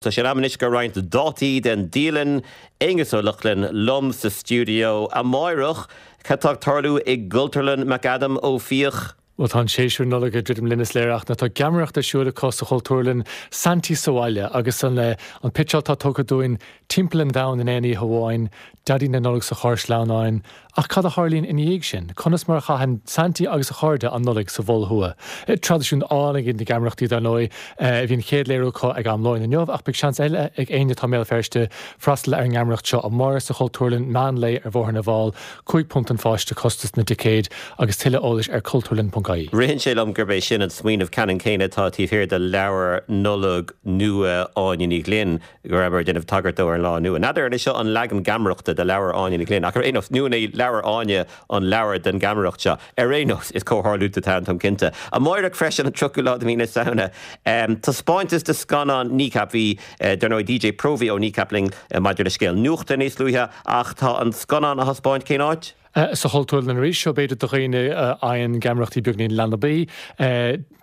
Tá sé in am anois do roinnt dátaí den dialann. Aonghus Ó Lochlainn liom sa stiúideo. Amáireach, cad tá ag tarlú i gCultúrlann McAdam Ó Fiaich? Bhuel, tá an séasúr Nollag ag druidim linn is léir ach tá geamaireacht ar siúl acu sa Chultúrlann, Saintí sa Bhaile, agus an an pitseáil atá tugtha dúinn timpeall an domhain in aon oíche amháin, Daidí na Nollag sa charr sleamhnáin, Ach cad a tharlaíonn ina dhiaidh sin? Conas mar a chaitheann Saintí agus a chairde an Nollaig sa Mhol Thuaidh? Traidisiún álainn iad na geamaireachtaí, dar ndóigh. Bhí an chéad léiriú acu ag am lóin inniu, ach beidh seans eile ag éinne atá i mBéal Feirste freastal ar an ngeamaireacht seo amárach sa Chultúrlann, meán lae ar Bhóthar na bhFál. £5 an pháiste costas na dticéad, agus tuilleadh eolais ar cultúrlann.ie. Ritheann sé liom gurb é sin an smaoineamh ceannann céanna atá taobh thiar de leabhar Nollag nua Áine Ní Ghlinn. go rabhamar ag déanamh tagairt dó ar an Lá Inniu. N'fheadar an é seo an leagan geamaireachta de leabhar Áine Ní Ghlinn, ach ar aon nós, nó an é leabhar Áine an leabhar den gheamaireacht seo? Ar aon nós, is comhtharlúint atá ann, táim cinnte. Amáireach freisin, an 30ú lá de mhí na Samhna, taispeántas de scannán Kneecap. Bhí, dar ndóigh, DJ Próvaí ó Kneecap linn maidir le scéal nuachta níos luaithe, ach tá an scannán á thaispeáint cén áit? Sa Chultúrlann arís, seo b'fhéidir do dhaoine a fhaigheann geamaireachtaí beagnín leanbaí.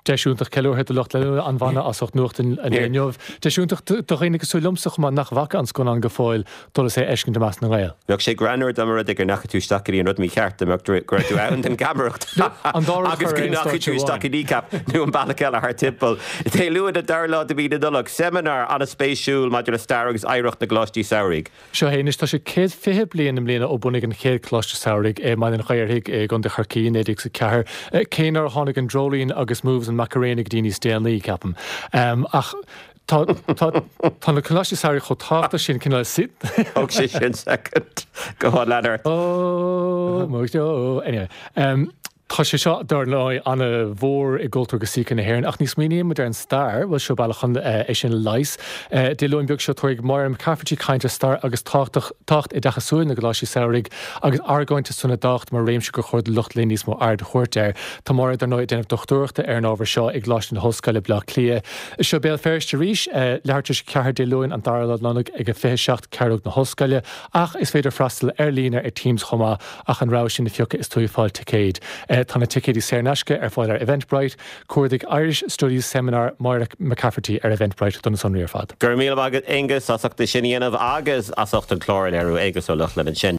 Deis iontach ceiliúrtha do lucht leanúna an bhanna as ucht nuacht an lae inniu. Deis iontach do dhaoine cosúil liomsa chomh maith nach bhfaca an scannán go fóill dul is é a fheiscint i measc na nGael. Bheadh sé greannmhar dá mba rud é go ndeachaigh tú isteach go dtí an rud mícheart, dá mbeadh go raibh tú ann don gheamaireacht agus go ndeachaigh tú isteach i Kneecap nó an bealach eile thart timpeall. Dé Luain an dara lá de mhí na Nollag, seimineár an-spéisiúil maidir le stair agus oidhreacht na gcoláistí samhraidh. Seo é anois, tá sé 120 bliain i mbliana ó bunaíodh an chéad Choláiste Samhraidh i mBaile an Ghaorthaidh i gContae Chorcaí i 1904, cé nár tháinig an Dreoilín agus Moves an Macarena go dtí níos déanaí, ceapaim. Ach tá, tá, tá na Coláistí Samhraidh chomh tábhachtach sin, cineál. Thóg sé sin soicind. Go on, lean ort. Ó, mo anyway. Tá sé seo, dar ndóigh, an-mhór i gcultúr agus síce na hÉireann, ach ní smaoiníonn muid ar an stair, bhuel, seo bealach chun é sin a leigheas. Dé Luain beag seo, tabharfaidh Máire McCafferty caint ar stair agus tábhacht oideachasúil na gColáistí Samhraidh agus argóint ar son a dtábhacht mar réimse gur chóir do lucht léinn níos mó aird a thabhairt air. Tá Máire, dar ndóigh, ag déanamh dochtúireachta ar an ábhar seo i gColáiste na hOllscoile, Bleá Cliath. Seo Béal Feirste arís, leathuair tar éis a 4 Dé Luain, an dara lá Nollag ag a 27 Ceathrú na hOllscoile, ach is féidir freastal ar líne ar Teams chomh maith. ach an rogha sin a phiocadh is tú ag fáil ticéid. Tá na ticéidí saor in aisce ar fáil ar Eventbrite. Cuardaigh Irish Studies Seminar Máire McCafferty ar Eventbrite do na sonraí ar fad. Go raibh míle maith agat Aonghus as ucht é sin a dhéanamh agus as ucht an clár a léiriú. Aonghus Ó Lochlainn ansin.